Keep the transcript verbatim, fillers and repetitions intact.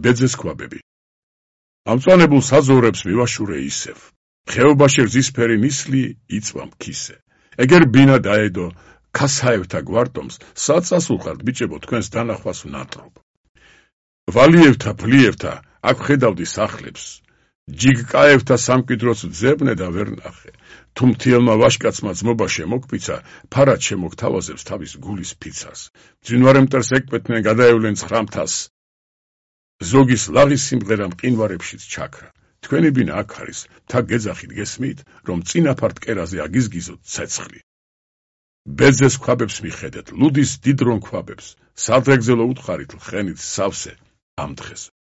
ბეძეს ქვაბები. ამწვანებულ საზოვრებს მივაშურე ისევ. ხეობაში რძისფერი ნისლი იწვა მქისე. ეგერ ბინა დაედო ქასაევთა გვარტომს, საწასულხართ ბიჭებო თქვენს დანახვას ვნატრობ. ვალიევთა ფლიევთა აქ ხედავდი სახლებს. ჯიგკაევთა სამკვიდროც ძებნე და ვერ ნახე. თუ მთიელმა ვაშკაცმა ძმობა შემოგფიცა, ფარად შემოგთავაზებს თავის გულის ფიცას. მძინვარე მტერს ეკპეთნენ, გადაევლენ ცხრამთას. ზოგის ლაღის სიმღერა მყინვარებშიც ჩაქრა. თქვენი ბინა აქ არის, მთა გეძახით გესმით, რომ წინაფარ მტკერაზე აგიზგიზოთ ცეცხლი. ბეძეს ქვაბებს მიხედეთ, ლუდის დიდ რონ ქვაბებს, სადღეგრძელო უთხარით ლხენით სავსე ამ დღეს.